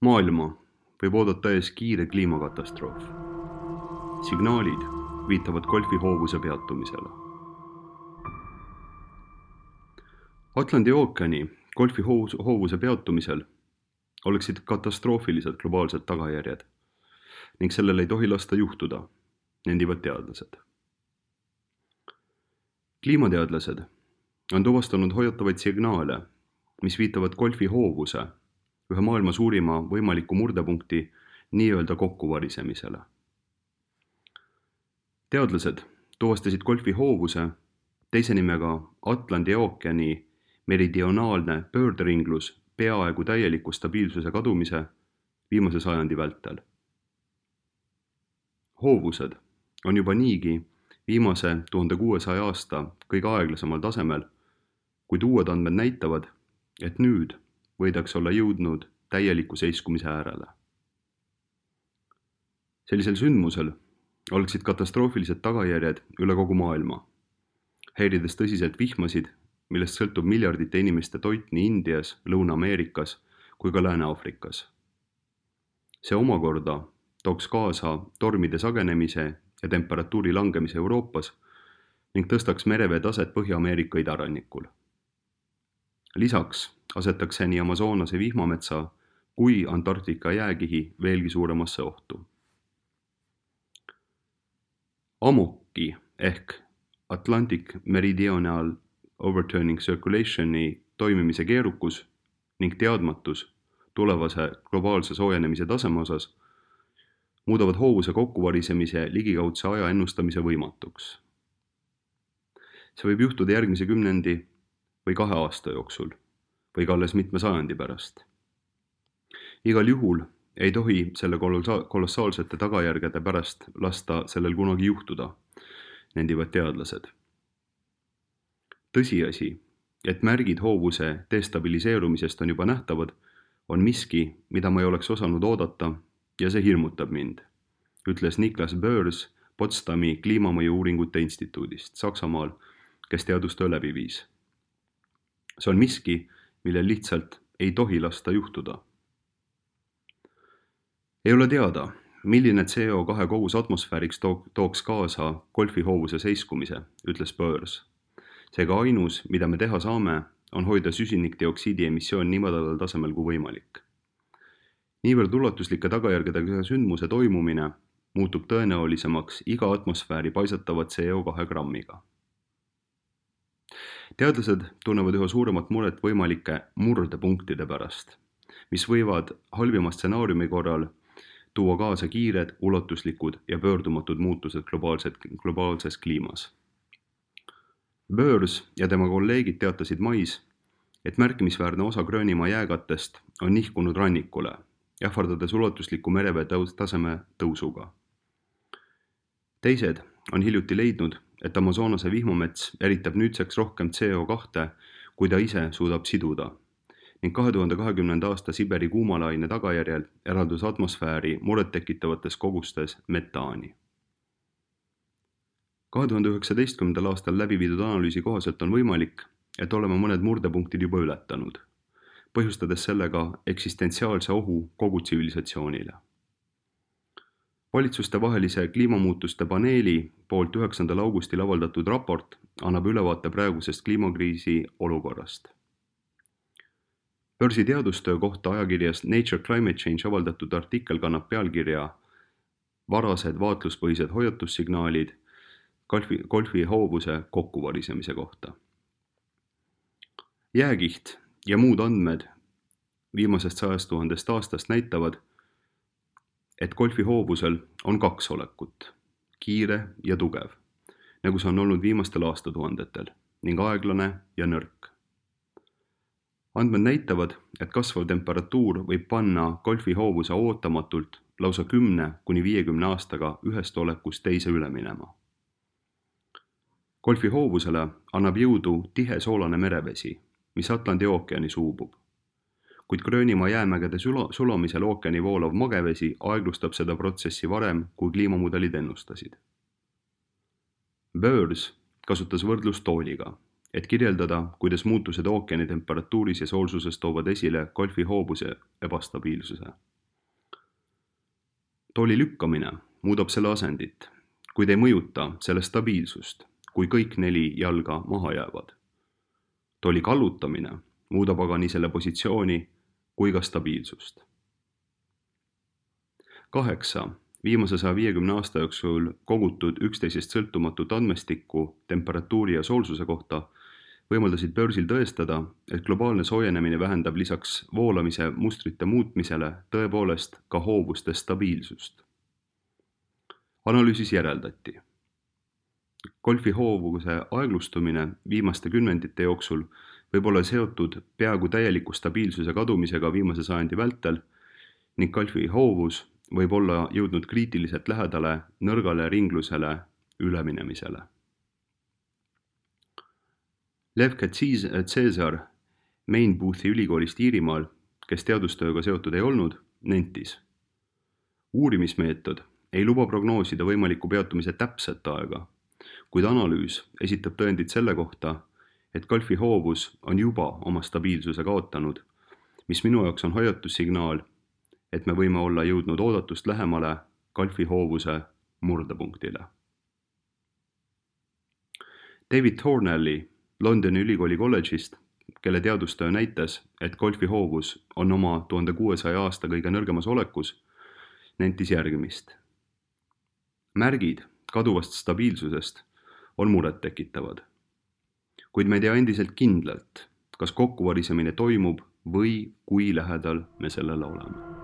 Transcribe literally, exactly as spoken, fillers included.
Maailma võib oodata ees kiire kliimakatastroof. Signaalid viitavad golfihoovuse peatumisele. Atlandi ookeani golfihoovuse peatumisel oleksid katastroofilised globaalsed tagajärjed ning sellel ei tohi lasta juhtuda, nendivad teadlased. Kliimateadlased on tuvastanud hoiatavaid signaale, mis viitavad golfihoovuse ühe maailma suurima võimaliku murdepunkti nii-öelda kokkuvarisemisele. Teadlased tuvastasid golfihoovuse teise nimega Atlandi ookeani meridionaalne pöörderinglus peaaegu täieliku stabiilsuse kadumise viimase sajandi vältel. Hoovused on juba niigi viimase tuhande kuuesaja aasta kõige aeglasemal tasemel, kuid uued andmed näitavad, et nüüd võidaks olla jõudnud täieliku seiskumise äärele. Sellisel sündmusel oleksid katastroofilised tagajärjed üle kogu maailma, häirides tõsiselt vihmasid, millest sõltub miljardite inimeste toit nii Indias, Lõuna-Ameerikas kui ka Lääne-Aafrikas. See omakorda tooks kaasa tormide sagenemise ja temperatuuri langemise Euroopas ning tõstaks merevee taset Põhja-Ameerika idarannikul. Lisaks asetaks see nii Amazonase vihmametsa kui Antarktika jääkihi veelgi suuremasse ohtu. Amoki ehk Atlantic Meridional Overturning Circulationi toimimise keerukus ning teadmatus tulevase globaalse soojenemise taseme osas muudavad hoovuse kokkuvarisemise ligikaudse aja ennustamise võimatuks. See võib juhtuda järgmise kümnendi või kahe aasta jooksul või ka alles mitme sajandi pärast. Igal juhul ei tohi selle kolossaalsete tagajärgede pärast lasta sellel kunagi juhtuda, nendivad teadlased. Tõsiasi, et märgid hoovuse destabiliseerumisest on juba nähtavad, on miski, mida ma ei oleks osanud oodata ja see hirmutab mind, ütles Niklas Börs Potsdami kliimamõju uuringute instituudist Saksamaal, kes teadustöö läbi viis. See on miski, millel lihtsalt ei tohi lasta juhtuda. Ei ole teada, milline C O kahe kogus atmosfääriks tooks kaasa golfihoovuse seiskumise, ütles Börs. Seega ainus, mida me teha saame, on hoida süsinikdioksiidi emissioon nii madalal tasemel kui võimalik. Niivõrd ulatuslike tagajärgedega sündmuse toimumine muutub tõenäolisemaks iga atmosfääri paisatava C O kahe grammiga. Teadlased tunnevad üha suuremat muret võimalike murdepunktide pärast, mis võivad halvima stsenaariumi korral tuua kaasa kiired, ulatuslikud ja pöördumatud muutused globaalses kliimas. Börs ja tema kolleegid teatasid mais, et märkimisväärne osa Gröönimaa jääkattest on nihkunud rannikule, ähvardades ulatusliku merevee taseme tõusuga. Teised on hiljuti leidnud, et Amazonase vihmamets eritab nüüdseks rohkem C O kahte, kui ta ise suudab siduda, ning kahe tuhande kahekümnenda aasta Siberi kuumalaine tagajärjel eraldus atmosfääri murettekitavates kogustes metaani. kahe tuhande üheksateistkümnendal aastal läbi viidud analüüsi kohaselt on võimalik, et oleme mõned murdepunktid juba ületanud, põhjustades sellega eksistentsiaalse ohu kogu tsivilisatsioonile. Valitsustevahelise kliimamuutuste paneeli poolt üheksandal augustil avaldatud raport annab ülevaate praegusest kliimakriisi olukorrast. Börsi teadustöö kohta ajakirjas Nature Climate Change avaldatud artikkel kannab pealkirja Varased vaatluspõhised hoiatussignaalid golfihoovuse kokkuvarisemise kohta. Jääkiht ja muud andmed viimasest sajast tuhandest aastast näitavad, et golfihoovusel on kaks olekut, kiire ja tugev, nagu see on olnud viimastel aastatuhandetel, ning aeglane ja nõrk. Andmed näitavad, et kasvav temperatuur võib panna golfihoovuse ootamatult lausa kümne kuni viiekümne aastaga ühest olekust teise üle minema. Golfihoovusele annab jõudu tihe soolane merevesi, mis Atlandi ookeani suubub, kuid Gröönimaa jäämägede sulamisel ookeani voolav magevesi aeglustab seda protsessi varem, kui kliimamudelid ennustasid. Börs kasutas võrdlust tooliga, et kirjeldada, kuidas muutused ookeani temperatuuris ja soolsuses toovad esile golfihoovuse ebastabiilsuse. Tooli lükkamine muudab selle asendit, kuid ei mõjuta selle stabiilsust, kui kõik neli jalga maha jäävad. Tooli kallutamine muudab aga nii selle positsiooni kui ka stabiilsust. Kaheksa. Viimase saja viiekümne aasta jooksul kogutud üksteisest sõltumatut andmestikku temperatuuri ja soolsuse kohta võimaldasid börsil tõestada, et globaalne soojenemine vähendab lisaks voolamise mustrite muutmisele tõepoolest ka hoovuste stabiilsust. Analüüsis järeldati. Golfi hoovuse aeglustumine viimaste kümnendite jooksul võib olla seotud peaaegu täieliku stabiilsuse kadumisega viimase sajandi vältel ning golfi hoovus võib olla jõudnud kriitiliselt lähedale nõrgale ringlusele üleminemisele. Lev Caesar Mainboothi ülikoolist Iirimaal, kes teadustööga seotud ei olnud, nentis. Uurimismeetod ei luba prognoosida võimaliku peatumise täpset aega, kuid analüüs esitab tõendid selle kohta, et golfi hoovus on juba oma stabiilsuse kaotanud, mis minu jaoks on hoiatussignaal, et me võime olla jõudnud oodatust lähemale golfi hoovuse murdepunktile. David Thornelli Londoni ülikooli kolledžist, kelle teadustöö näitas, et golfi hoovus on oma tuhande kuuesaja aasta kõige nõrgemas olekus, nentis järgmist. Märgid kaduvast stabiilsusest on muret tekitavad, kuid me ei tea endiselt kindlalt, kas kokkuvarisemine toimub või kui lähedal me sellele oleme.